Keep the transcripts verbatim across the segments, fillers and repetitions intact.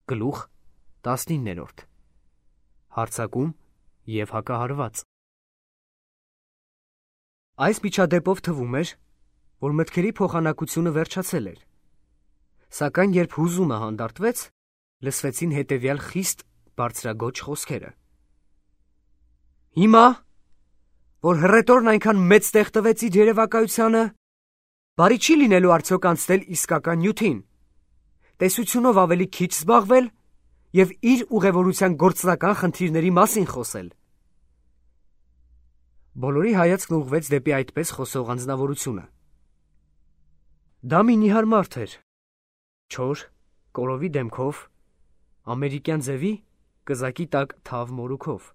Գլուխ տասնիններորդ Հարձակում և հակահարված։ Այս միջադեպով թվում էր, որ մտքերի փոխանակությունը վերջացել էր, սակայն երբ հուզումը հանդարտվեց, լսվեցին հետևյալ խիստ բարձրագոչ խոսքերը. «Հիմա, որ հռետորն այնքան մեծ տեղ տվեց իր երևակայությանը, բարի չի լինելու արդյոք անցնել իսկական նյութին, տեսությունով ավելի քիչ զբաղվել և իր ուղևորության գործնական խնդիրների մասին խոսել»։ Բոլորի հայացքն ուղղվեց դեպի այդպես խոսող անձնավորությունը։ Դա մի նիհար մարդ էր, չոր, կորովի դեմքով, ամերիկյան ձևի, կզակի տակ թավ մորուքով։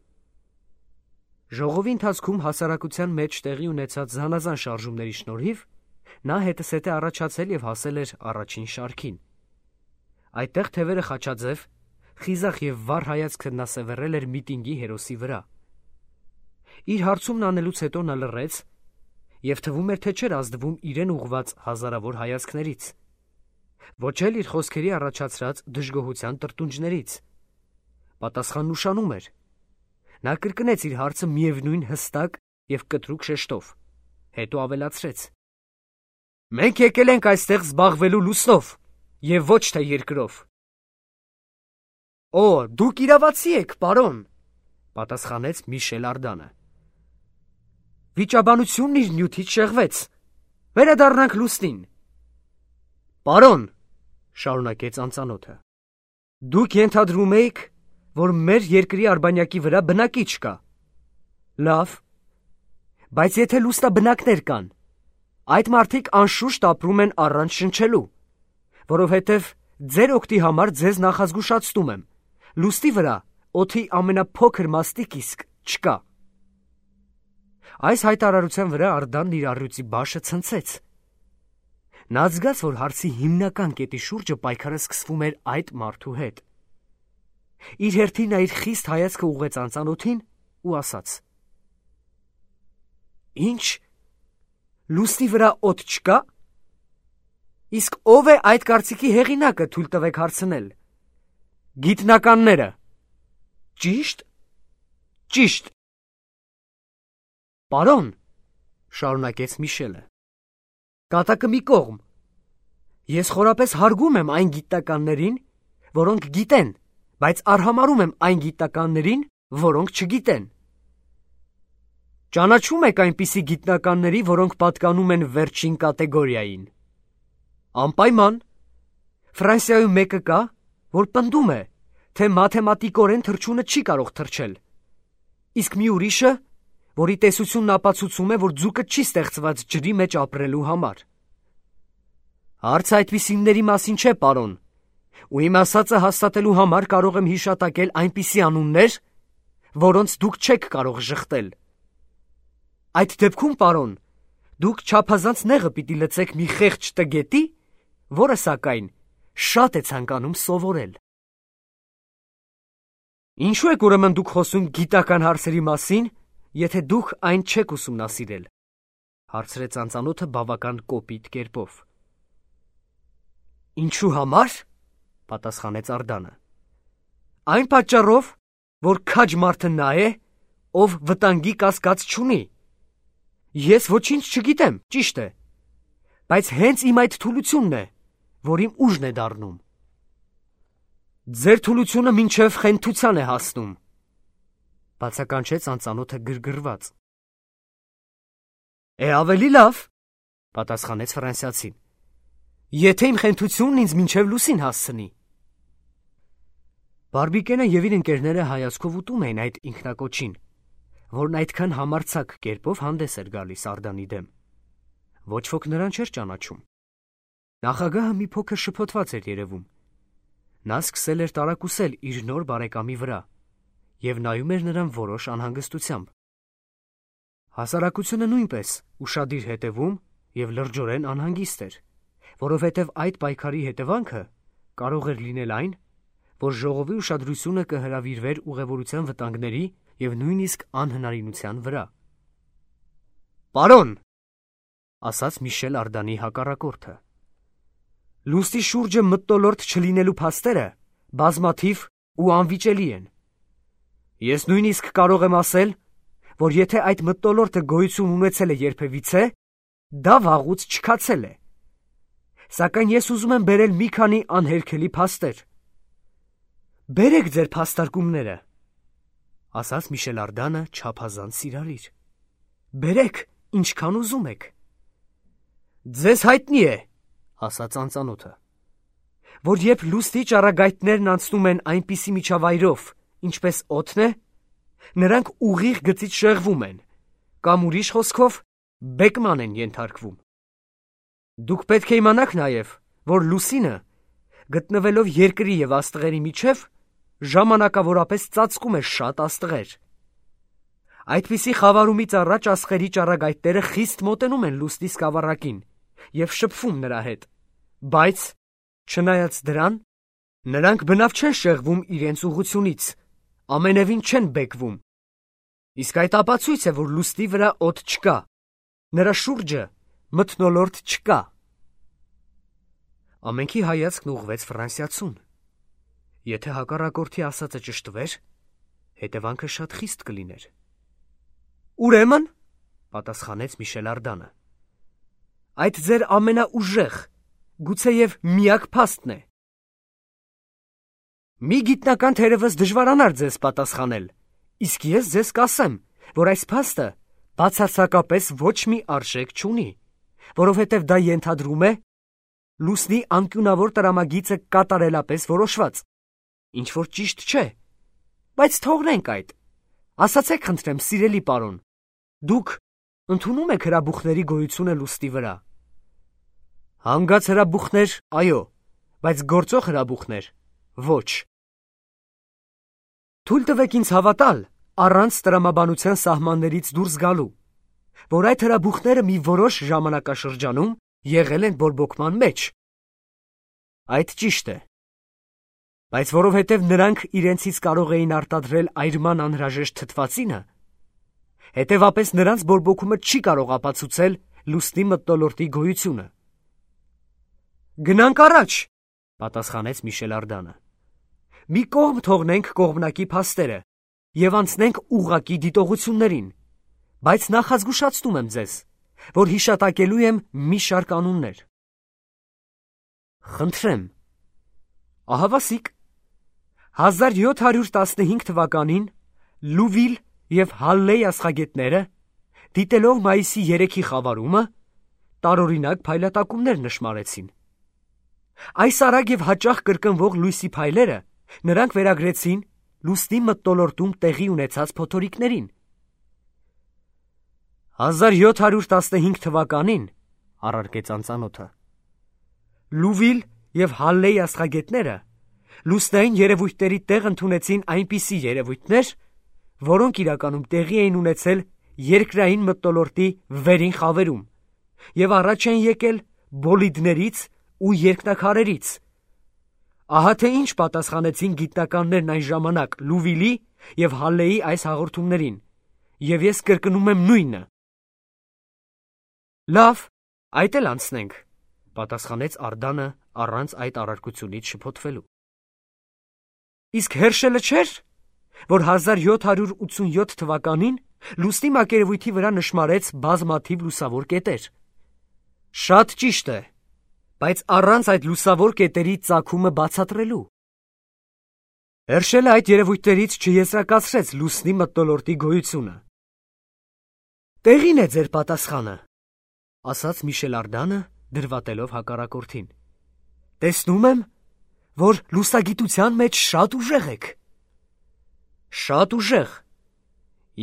Ժողովի ընթացքում հասարակության մեջ տեղի ունեցած զանազան շարժումների շնորհիվ նա հետզհետե առաջացել և հասել էր առաջին շարքին։ Այդտեղ թևերը խաչաձև, խիզախ և վառ հայացքը նա սևեռել էր միտինգի հերոսի վրա։ Իր հարցումն անելուց հետո նա լռեց և թվում էր, թե չէր ազդվում իրեն ուղղված հազարավոր հայացքներից, ոչ էլ իր խոսքերի առաջացրած դժգոհության տրտունջներից։ Պատասխանն ուշանում էր։ Նա կրկնեց իր հարցը միևնույն հստակ և կտրուկ շեշտով, հետո ավելացրեց. «Մենք եկել ենք այստեղ զբաղվելու լուսնով և ոչ թե երկրով»։ «Օ, դուք իրավացի եք, պարոն», պատասխանեց Միշել Արդանը։ «Վիճաբանությունն իր նյութից շեղվեց, վերադառնանք լուսնին»։ «Պարոն», շարունակեց անծանոթը, «դուք ենթադրում էիք, որ մեր երկրի արբանյակի վրա բնակիչ կա։ Լավ, բայց եթե լուսնաբնակներ կան, այդ մարդիկ անշուշտ ապրում են առանց շնչելու, որովհետև ձեր օգտի համար ձեզ նախազգուշացնում եմ, լուսնի վրա օդի ամենափոքր մաստիկ իսկ չկա»։ Այս հայտարարության վրա Արդանն իր առյուծի բաշը ցնցեց։ Նա զգաց, որ հարցի հիմնական կետի շուրջը պայքարը սկսվում էր այդ մարդու հետ։ Իր հերթին նա իր խիստ հայացքը ուղղեց անծանոթին ու ասաց. «Ի՞նչ, լուսնի վրա օդ չկա։ Իսկ ո՞վ է այդ կարծիքի հեղինակը, թույլ տվեք հարցնել։ Գիտնականները։ Ճի՞շտ։ Ճիշտ։ Պարոն, շարունակեց Միշելը, կատակը մի կողմ։ Ես խորապես հարգում եմ այն գիտնականներին, որոնք գիտեն, բայց արհամարհում եմ այն գիտնականներին, որոնք չգիտեն։ Ճանաչում եք այնպիսի գիտնականների, որոնք պատկանում են վերջին կատեգորիային։ Անպայման։ Ֆրանսիայում մեկը կա, որ պնդում է, թե մաթեմատիկորեն թռչունը չի կարող թռչել, իսկ մի ուրիշը, որի տեսությունն ապացուցում է, որ ձուկը չի ստեղծված ջրի մեջ ապրելու համար։ Հարցը այդպիսիների մասին չէ, պարոն, ու իմ ասածը հաստատելու համար կարող եմ հիշատակել այնպիսի անուններ, որոնց դուք չեք կարող ժխտել։ Այդ դեպքում, պարոն, դուք չափազանց նեղը պիտի լցեք մի խեղճ տգետի, որը, սակայն, շատ է ցանկանում սովորել։ Ինչու եք ուրեմն դուք խոսում գիտական հարցերի մասին, եթե դուք այն չեք ուսումնասիրել, հարցրեց անծանոթը բավական կոպիտ կերպով։ Ինչու համար, պատասխանեց Արդանը, այն պատճառով, որ քաջ մարդը նա է, ով վտանգի կասկած չունի։ Ես ոչինչ չգիտեմ, ճիշտ է, բայց հենց իմ այդ թուլությունն է, որ իմ ուժն է դառնում։ Ձեր թուլությունը մինչև խենթության է հասնում, բացականչեց անծանոթը գրգռված։ Է ավելի լավ, պատասխանեց ֆրանսիացին, եթե իմ խենթությունն ինձ մինչև լուսին հասցնի։ Բարբիկենը և իր ընկերները հայացքով ուտում էին այդ ինքնակոչին, որն այդքան համարձակ կերպով հանդես էր գալիս Արդանի դեմ։ Ոչ ոք նրան չէր ճանաչում։ Նախագահը մի փոքր շփոթված էր երևում։ Նա սկսել էր տարակուսել իր նոր բարեկամի վրա և նայում էր նրան որոշ անհանգստությամբ։ Հասարակությունը նույնպես ուշադիր հետևում և լրջորեն անհանգիստ էր, որովհետև այդ պայքարի հետևանքը կարող էր լինել այն, որ ժողովի ուշադրությունը կհրավիրվեր ուղևորության վտանգների և նույնիսկ անհնարինության վրա։ Պարոն, ասաց Միշել Արդանի հակառակորդը, լուսնի շուրջը մթնոլորտ չլինելու փաստերը բազմաթիվ ու անվիճելի են։ Ես նույնիսկ կարող եմ ասել, որ եթե այդ մթնոլորտը գոյություն ունեցել է երբևիցե, դա վաղուց չքացել է։ Սակայն ես ուզում եմ բերել մի քանի անհերքելի փաստեր։ Բերեք ձեր փաստարկումները, ասաց Միշել Արդանը չափազանց սիրալիր։ Բերեք, ինչքան ուզում եք։ Ձեզ հայտնի է, ասաց անծանոթը, որ երբ լուսնի ճառագայթներն անցնում են այնպիսի միջավայրով, ինչպես օդն է, նրանք ուղիղ գծից շեղվում են, կամ ուրիշ խոսքով բեկման են ենթարկվում։ Դուք պետք է իմանաք նաև, որ լուսինը, գտնվելով երկրի և աստղերի միջև, ժամանակավորապես ծածկում է շատ աստղեր։ Այդպիսի խավարումից առաջ աստղերի ճառագայթները խիստ մոտենում են լուսնի սկավառակին և շփվում նրա հետ, բայց, չնայած դրան, նրանք բնավ չեն շեղվում իրենց ուղղությունից, ամենևին չեն բեկվում։ Իսկ այդ ապացույց է, որ լուսնի վրա օդ չկա, նրա շուրջը մթնոլորտ չկա։ Ամենքի հայացքն ուղղվեց Ֆրանսիացուն։ Եթե հակառակորդի ասածը ճշտվեր, հետևանքը շատ խիստ կլիներ։ Ուրեմն, պատասխանեց Միշել Արդանը, այդ ձեր ամենաուժեղ, գուցեև միակ փաստն է։ Մի գիտնական թերևս դժվարանար ձեզ պատասխանել, իսկ ես ձեզ կասեմ, որ այս փաստը բացարձակապես ոչ մի արժեք չունի, որովհետև դա ենթադրում է լուսնի անկյունավոր տրամագիծը կատարելապես որոշված, ինչ որ ճիշտ չէ, բայց թողնենք այդ։ Ասացեք խնդրեմ, սիրելի պարոն, դուք ընդունում եք հրաբուխների գոյությունը լուսնի վրա։ Հանգած հրաբուխներ, այո, բայց գործող հրաբուխներ, ոչ։ Թույլ տվեք ինձ հավատալ, առանց տրամաբանության սահմաններից դուրս գալու, որ այդ հրաբուխները մի որոշ ժամանակաշրջանում եղել են բորբոքման մեջ։ Այդ ճիշտ է։ Բայց որովհետև նրանք իրենցից կարող էին արտադրել այրման անհրաժեշտ թթվածինը, հետևապես նրանց բորբոքումը չի կարող ապացուցել լուսնի մթնոլորտի գոյությունը։ Գնանք առաջ, պատասխանեց Միշել Արդանը։ Մի կողմ թողնենք կողմնակի փաստերը և անցնենք ուղղակի դիտողություններին, բայց նախազգուշացնում եմ ձեզ, որ հիշատակելու եմ մի շարք անուններ։ Խնդրեմ, ահավասիկ, հազար յոթ հարյուր տասնհինգ թվականին Լուվիլ և Հալլեյ աստղագետները, դիտելով մայիսի երեքի խավարումը, տարօրինակ փայլատակումներ նշմարեցին։ Այս արագ և հաճախ կրկնվող լույսի փայլերը նրանք վերագրեցին լուսնի մթնոլորտում տեղի ունեցած փոթորիկներին։ Հազար յոթ հարյուր տասնհինգ թվականին, առարկեց անծանոթը, Լուվիլ և Հալլեյ աստղագետները լուսնային երևույթների տեղ ընդունեցին այնպիսի երևույթներ, որոնք իրականում տեղի էին ունեցել երկրային մթնոլորտի վերին խավերում և առաջ են եկել բոլիդներից ու երկնաքարերից։ Ահա թե ինչ պատասխանեցին գիտնականներն այն ժամանակ Լուվիլի և Հալլեյի այս հաղորդումներին, և ես կրկնում եմ նույնը։ Լավ, այդ էլ անցնենք, պատասխանեց Արդանը առանց այդ առարկությունից շփոթվելու։ Իսկ Հերշելը չէր, որ հազար յոթ հարյուր ութսունյոթ թվականին լուսնի մակերևույթի վրա նշմարեց բազմաթիվ լուսավոր կետեր։ Շատ ճիշտ է, բայց առանց այդ լուսավոր կետերի ծագումը բացատրելու։ Հերշելը այդ երևույթներից չեզրակացրեց լուսնի մթնոլորտի գոյությունը։ Տեղին է ձեր պատասխանը, ասաց Միշել Արդանը, դրվատելով հակառակորդին։ Տեսնում եմ, որ լուսագիտության մեջ շատ ուժեղ եք։ Շատ ուժեղ։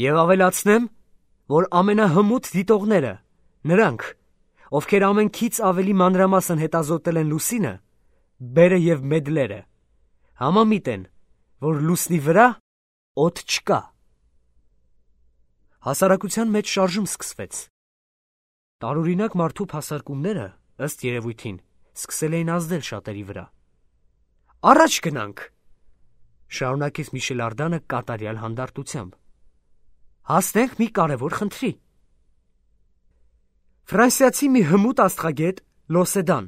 Եվ ավելացնեմ, որ ամենահմուտ դիտողները, նրանք, ովքեր ամենքից ավելի մանրամասն հետազոտել են լուսինը, բերը և մեդլերը, համամիտ են, որ լուսնի վրա օդ չկա։ Հասարակության մեջ շարժում սկսվեց։ Տարօրինակ մարդու փասարկումները, ըստ երևույթին, սկսել էին ազդել շատերի վրա։ Առաջ գնանք, շարունակեց Միշել Արդանը կատարյալ հանդարտությամբ։ Հասնենք մի կարևոր խնդրի։ Ֆրանսիացի մի հմուտ աստղագետ Լոսեդան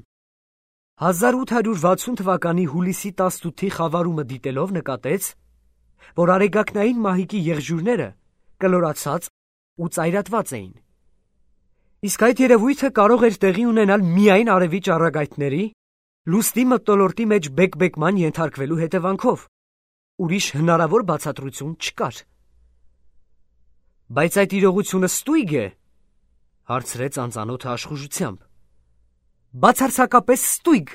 հազար ութ հարյուր վաթսուն թվականի հուլիսի տասնութի խավարումը դիտելով նկատեց, որ արեգակնային մահիկի եղջյուրները կլորացած ու ծայրատված էին։ Իսկ այդ երևույթը կարող էր տեղի ունենալ միայն արևի ճառագայթների, լուսնի մթնոլորտի մեջ բեկբեկման ենթարկվելու հետևանքով, ուրիշ հնարավոր բացատրություն չկար։ Բայց այդ իրողությունը ստույգ է, հարցրեց անծանոթը աշխուժությամբ։ Բացարձակապես ստույգ։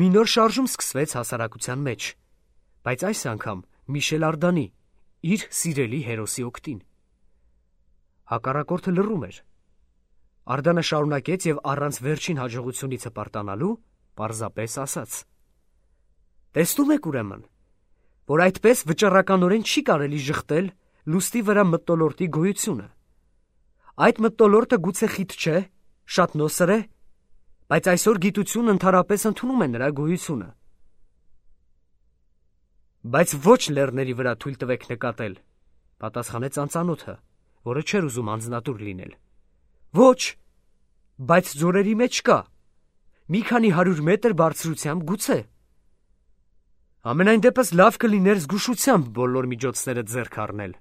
Մի նոր շարժում սկսվեց հասարակության մեջ, բայց այս անգամ Միշել Արդանի, իր սիրելի հերոսի օգտին։ Հակառակորդը լռում էր։ Արդանը շարունակեց եւ առանց վերջին հաջողությունից հպարտանալու պարզապես ասաց. Տեսնում եք ուրեմն, որ այդպես վճռականորեն չի կարելի ժխտել լուսնի վրա մթնոլորտի գոյությունը։ Այդ մթնոլորտը գուցե խիտ չէ, շատ նոսր է, բայց այսօր գիտությունը ընդհանրապես ընդունում է նրա գոյությունը։ Բայց ոչ լեռների վրա թույլ տվեք նկատել, պատասխանեց անծանոթը, որը չէր ուզում անձնատուր լինել։ Ոչ, բայց ձորերի մեջ կա, մի քանի հարյուր մետր բարձրությամբ գուցե։ Ամենայն դեպս լավ կլիներ զգուշությամբ բոլոր միջոցները ձեռք առնել,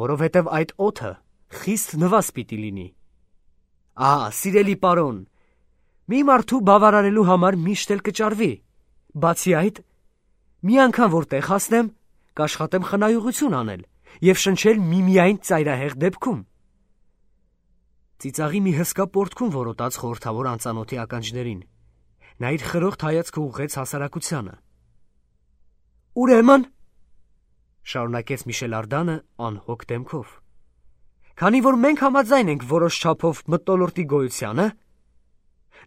որովհետև այդ օդը խիստ նվազ պիտի լինի։ Ահա, սիրելի պարոն, մի մարդու բավարարելու համար միշտ էլ կճարվի, բացի այդ, մի անգամ որ տեղ հասնեմ, կաշխատեմ խնայողություն անել և շնչել միմիայն ծայրահեղ դեպքում։ Ծիծաղի մի հսկա պոռթկում որոտաց խորհրդավոր անծանոթի ականջներին, նա իր խրոխտ հայացքը ուղղեց հասարակությանը։ Ուրեմն, շարունակեց Միշել Արդանը անհոգ դեմքով, քանի որ մենք համաձայն ենք որոշ չափով մթնոլորտի գոյությանը,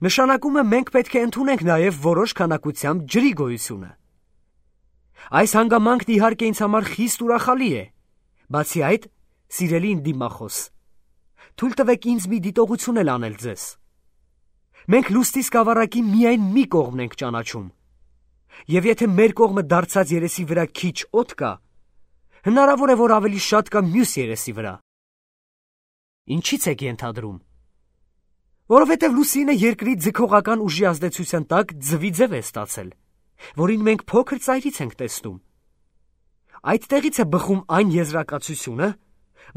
նշանակում է մենք պետք է ընդունենք նաև որոշ քանակությամբ ջրի գոյությունը։ Այս հանգամանքն իհարկե ինձ համար խիստ ուրախալի է, բացի այդ, սիրելի իմ դիմախոս, թույլ տվեք ինձ մի դիտողություն էլ անել ձեզ։ Մենք լուսնի սկավառակի միայն մի կողմն ենք ճանաչում, և եթե մեր կողմը դարձած երեսի վրա քիչ օդ կա, հնարավոր է, որ ավելի շատ կա մյուս երեսի վրա։ Ինչի՞ց եք ենթադրում։ Որովհետև լուսինը երկրի ձգողական ուժի ազդեցության տակ ձվի ձև է ստացել, որին մենք փոքր ծայրից ենք տեսնում։ Այդտեղից է բխում այն եզրակացությունը,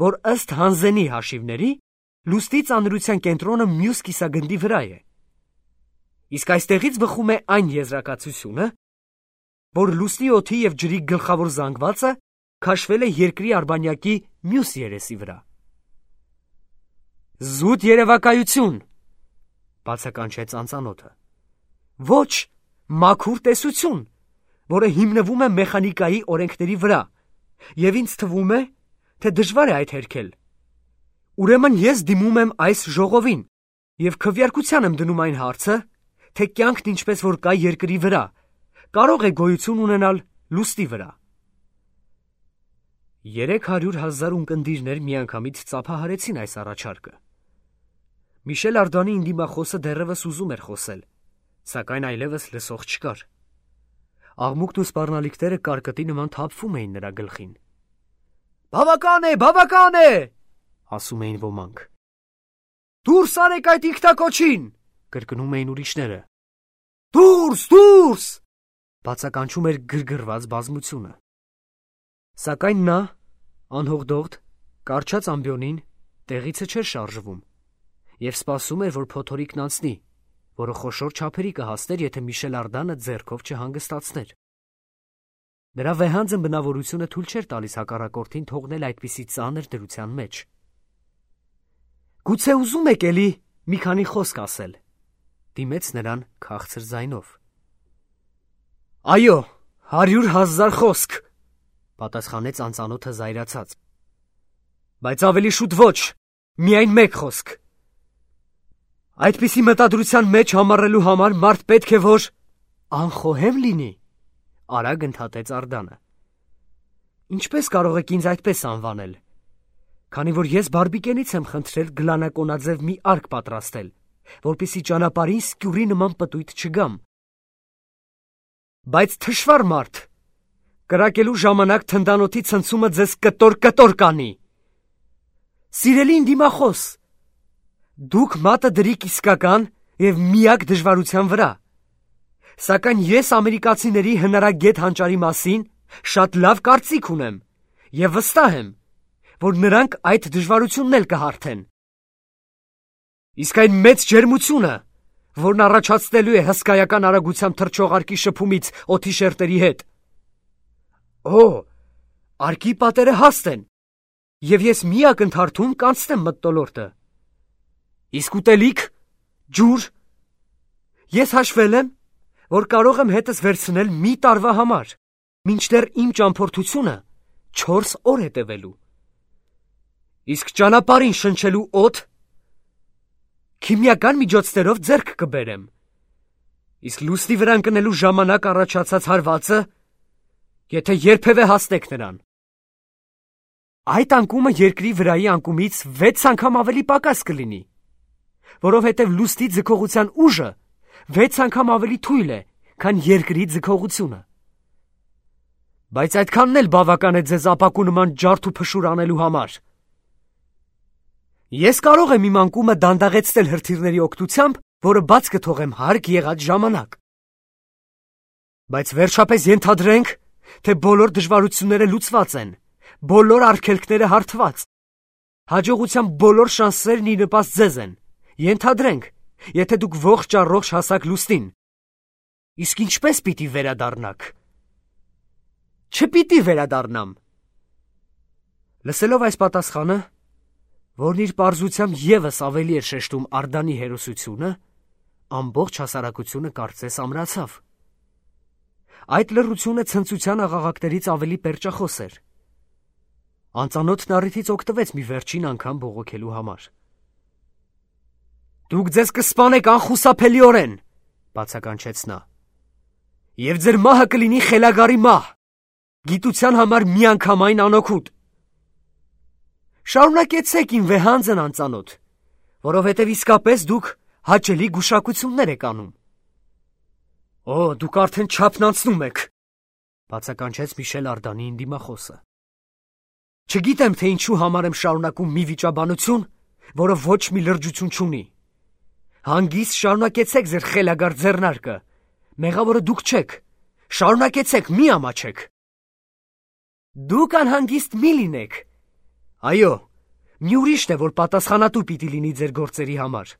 որ ըստ Հանզենի հաշիվների լուսնի ծանրության կենտրոնը մյուս կիսագնդի վրա է։ Իսկ այստեղից բխում է այն եզրակացությունը, որ լուսնի օդի և ջրի գլխավոր զանգվածը քաշվել է երկրի արբանյակի մյուս երեսի վրա։ Զուտ երևակայություն, բացականչեց անծանոթը։ Ոչ, մաքուր տեսություն, որը հիմնվում է մեխանիկայի օրենքների վրա, և ինձ թվում է, թե դժվար է այդ հերքել։ Ուրեմն ես դիմում եմ այս ժողովին և քվեարկության եմ դնում այն հարցը, թե կյանքն ինչպես որ կա երկրի վրա, կարող է գոյություն ունենալ լուսնի վրա։ Երեք հարյուր հազար ունկնդիրներ միանգամից ծափահարեցին այս առաջարկը։ Միշել Արդանի դիմախոսը դեռևս ուզում էր խոսել, սակայն այլևս լսող չկար։ Աղմուկն ու սպառնալիքները կարկտի նման թափվում էին նրա գլխին։ Բավական է, բավական է, ասում էին ոմանք։ Դուրս արեք այդ ինքնակոչին, կրկնում էին ուրիշները։ Դուրս, դուրս, բացականչում էր գրգռված բազմությունը։ Սակայն նա, անհոգդողդ, կարճած ամբիոնին, տեղիցը չէր շարժվում և սպասում էր, որ փոթորիկն անցնի, որը խոշոր չափերի կհասներ, եթե Միշել Արդանը ձեռքով չհանգստացներ։ Նրա վեհանձն բնավորությունը թույլ չէր տալիս հակառակորդին թողնել այդպիսի ծանր դրության մեջ։ Գուցե ուզում եք էլի մի քանի խոսք ասել, դիմեց նրան քաղցր ձայնով։ Այո, հարյուր հազար խոսք, պատասխանեց անծանոթը զայրացած։ Բայց ավելի շուտ ոչ, միայն մեկ խոսք։ Այդպիսի մտադրության մեջ համառելու համար մարդ պետք է որ անխոհեմ լինի, արագ ընդհատեց Արդանը։ Ինչպես կարող եք ինձ այդպես անվանել, քանի որ ես բարբիկենից եմ խնդրել գլանակոնաձև մի արկ պատրաստել, որպեսզի ճանապարհին սկյուռի նման պտույտ չգամ։ Բայց թշվառ մարդ, կրակելու ժամանակ թնդանոթի ցնցումը ձեզ կտոր-կտոր կանի։ Սիրելի դիմախոս, դուք մատը դրիք իսկական և միակ դժվարության վրա։ Սակայն ես ամերիկացիների հնարագետ հանճարի մասին շատ լավ կարծիք ունեմ և վստահ եմ, որ նրանք այդ դժվարությունն էլ կհարթեն։ Իսկ այն մեծ ջերմությունը, որն առաջացնելու է հսկայական արագությամբ թռչող արկի շփումից օդի շերտերի հետ։ Օ, արկի պատերը հաստ են, և ես մի ակնթարթում կանցնեմ մթնոլորտը։ Իսկ ուտելիք, ջուր։ Ես հաշվել եմ, որ կարող եմ հետս վերցնել մի տարվա համար, մինչդեռ իմ ճամփորդությունը չորս օր է տևելու։ Իսկ ճանապարհին շնչելու օդ քիմիական միջոցներով ձեռք կբերեմ։ Իսկ լուսնի վրա ընկնելու ժամանակ առաջացած հարվածը, եթե երբևէ հասնեք նրան։ Այդ անկումը երկրի վրայի անկումից վեց անգամ ավելի պակաս կլինի, որովհետև լուսնի ձգողության ուժը վեց անգամ ավելի թույլ է, քան երկրի ձգողությունը։ Բայց այդքանն էլ բավական է ձեզ ապակու նման ջարդ ու փշուր անելու համար։ Ես կարող եմ իմ անկումը դանդաղեցնել հրթիռների օգնությամբ, որը բաց կթողեմ հարկ եղած ժամանակ։ Բայց վերջապես ենթադրենք, թե բոլոր դժվարությունները լուծված են, բոլոր արգելքները հարթված, հաջողության բոլոր շանսերն ի նպաստ ձեզ են։ Ենթադրենք, եթե դուք ողջ առողջ հասաք լուսնին։ Իսկ ինչպես պիտի վերադառնաք։ Չպիտի վերադառնամ։ Լսելով այս պատասխանը, որն իր պարզությամբ ևս ավելի էր շեշտում Արդանի հերոսությունը, ամբողջ հասարակությունը կարծես ամրացավ։ Այդ լռությունը ցնծության աղաղակներից ավելի պերճախոս էր։ Անծանոթն առիթից օգտվեց մի վերջին անգամ բողոքելու համար։ Դուք ձեզ կսպանեք անխուսափելիորեն, բացականչեց նա։ Եվ ձեր մահը կլինի խելագարի մահ, գիտության համար միանգամայն անօգուտ։ Շարունակեցեք իմ վեհանձն անծանոթ, որովհետև իսկապես դուք հաճելի գուշակություններ եք անում։ Օ, դուք արդեն չափն անցնում եք, բացականչեց Միշել Արդանի ընդդիմախոսը։ Չգիտեմ, թե ինչու համար եմ շարունակում մի վիճաբանություն, որը ոչ մի լրջություն չունի։ Հանգիստ շարունակեցեք ձեր խելագար ձեռնարկը, մեղավորը դուք չեք, շարունակեցեք, մի ամաչեք։ Դուք անհանգիստ մի լինեք։ Այո, մի ուրիշն է, որ պատասխանատու պիտի լինի ձեր գործերի համար։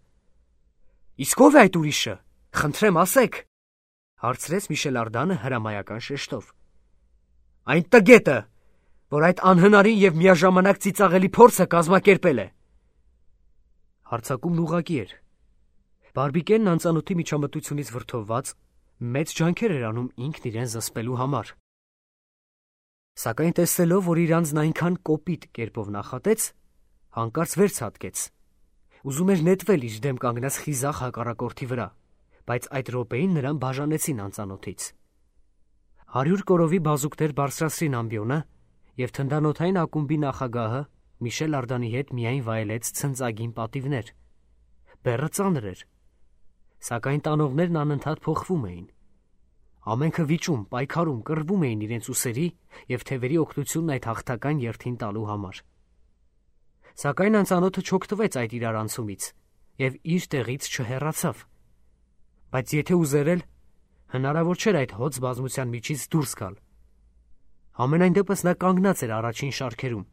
Իսկ ով է այդ ուրիշը, խնդրեմ ասեք, հարցրեց Միշել Արդանը հրամայական շեշտով։ Այն տգետը, որ այդ անհնարին և միաժամանակ ծիծաղելի փորձը կազմակերպել է։ Հարձակումն ուղղակի էր։ Բարբիկենն անծանոթի միջամտությունից վրդովված մեծ ջանքեր էր անում ինքն իրեն զսպելու համար։ Սակայն տեսնելով, որ իր անձն այնքան կոպիտ կերպով նախատեց, հանկարծ վերց հատկեց։ Ուզում էր նետվել իր դեմ կանգնած խիզախ հակառակորդի վրա, բայց այդ րոպեին նրան բաժանեցին անծանոթից։ Հարյուր կորովի բազուկներ բարձրացրին ամբիոնը, և թնդանոթային ակումբի նախագահը Միշել Արդանի հետ միայն վայելեց ցնծագին պատիվներ։ Բեռը ծանր էր, սակայն տանողներն անընդհատ փոխվում էին։ Ամենքը վիճում, պայքարում, կռվում էին իրենց ուսերի և թևերի օգնությունն այդ հաղթական երթին տալու համար։ Սակայն անծանոթը չօգտվեց այդ իրարանցումից և իր տեղից չհեռացավ։ Բայց եթե ուզեր էլ, հնարավոր չէր այդ հոծ բազմության միջից դուրս գալ։ Համենայն դեպս նա կանգնած էր առաջին շարքերում,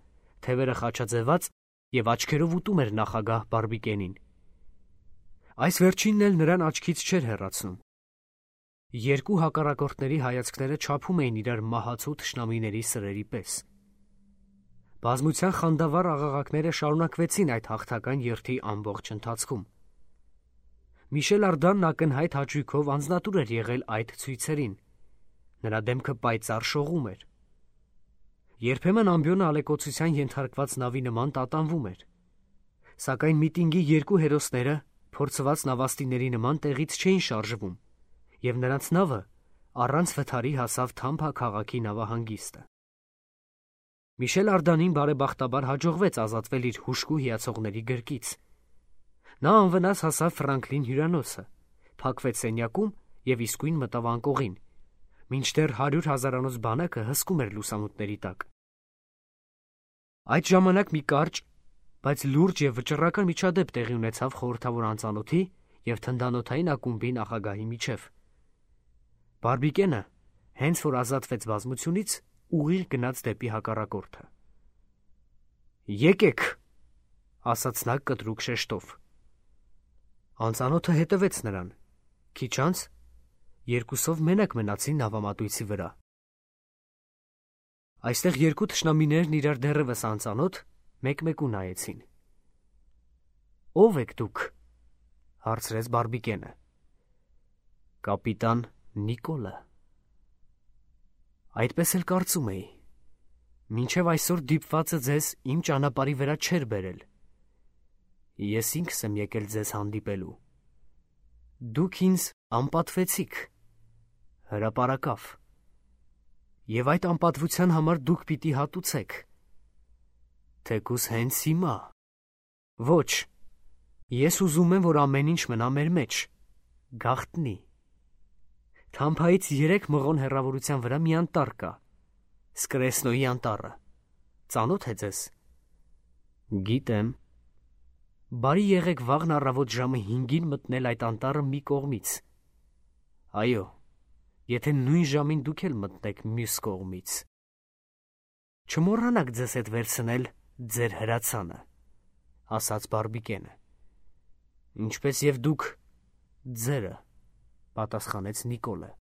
թևերը խաչաձևած և աչքերով ուտում էր նախագահ Բարբիկենին։ Այս վերջինն էլ նրան աչքից չէր հեռացնում։ Երկու հակառակորդների հայացքները չափում էին իրար մահացու թշնամիների սրերի պես։ Բազմության խանդավառ աղաղակները շարունակվեցին այդ հաղթական երթի ամբողջ ընթացքում։ Միշել Արդանն ակնհայտ հաճույքով անձնատուր էր եղել այդ ցույցերին։ Նրա դեմքը պայծառ շողում էր։ Երբեմն ամբիոնը ալեկոծության ենթարկված նավի նման տատանվում էր։ Սակայն միտինգի երկու հերոսները փորձված նավաստիների նման տեղից չէին շարժվում, և նրանց նավը առանց վթարի հասավ Թամփա քաղաքի նավահանգիստը։ Միշել Արդանին բարեբախտաբար հաջողվեց ազատվել իր հուժկու հիացողների գրկից։ Նա անվնաս հասավ Ֆրանկլին հյուրանոցը, փակվեց սենյակում և իսկույն մտավ անկողին, մինչդեռ հարյուր հազարանոց բանակը հսկում էր լուսամուտների տակ։ Այդ ժամանակ մի կարճ, բայց լուրջ և վճռական միջադեպ տեղի ունեցավ խորհրդավոր անծանոթի և թնդանոթային ակումբի նախագահի միջև։ Բարբիկենը, հենց որ ազատվեց բազմությունից, ուղիղ գնաց դեպի հակառակորդը։ «Եկեք», ասաց նա կտրուկ շեշտով։ Անծանոթը հետևեց նրան, քիչ անց երկուսով մենակ մնացին նավամատույցի վրա։ Այստեղ երկու թշնամիներն իրար դեռևս անծանոթ մեկ-մեկու նայեցին։ «Ո՞վ եք դուք», հարցրեց Բարբիկենը։ «Կապիտան Նիկոլը»։ Այդպես էլ կարծում էի։ Մինչև այսօր դիպվածը ձեզ իմ ճանապարհի վրա չէր բերել։ Ես ինքս եմ եկել ձեզ հանդիպելու։ Դուք ինձ անպատվեցիք, հրապարակավ, և այդ անպատվության համար դուք պիտի հատուցեք։ Թեկուզ հենց հիմա։ Ոչ, ես ուզում եմ, որ ամեն ինչ մնա մեր մեջ, գաղտնի։ Թամփայից երեք մղոն հեռավորության վրա մի անտառ կա, Սկրեսնոյի անտառը։ Ծանոթ է ձեզ։ Գիտեմ։ Բարի եղեք վաղն առավոտ ժամը հինգին մտնել այդ անտառը մի կողմից։ Այո, եթե նույն ժամին դուք էլ մտնեք մյուս կողմից։ Չմոռանաք ձեզ հետ վերցնել ձեր հրացանը, ասաց Բարբիկենը։ Ինչպես և դուք ձերը, պատասխանեց Նիկոլը։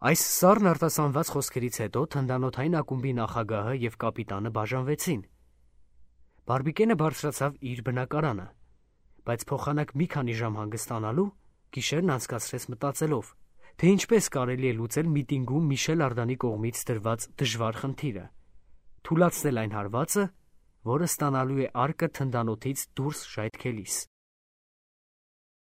Այս սառն արտասանված խոսքերից հետո թնդանոթային ակումբի նախագահը և կապիտանը բաժանվեցին։ Բարբիկենը բարձրացավ իր բնակարանը, բայց փոխանակ մի քանի ժամ հանգստանալու գիշերն անցկացրեց մտածելով, թե ինչպես կարելի է լուծել միտինգում Միշել Արդանի կողմից դրված դժվար խնդիրը, թուլացնել այն հարվածը, որը ստանալու է արկը թնդանոթից դուրս ժայթքելիս։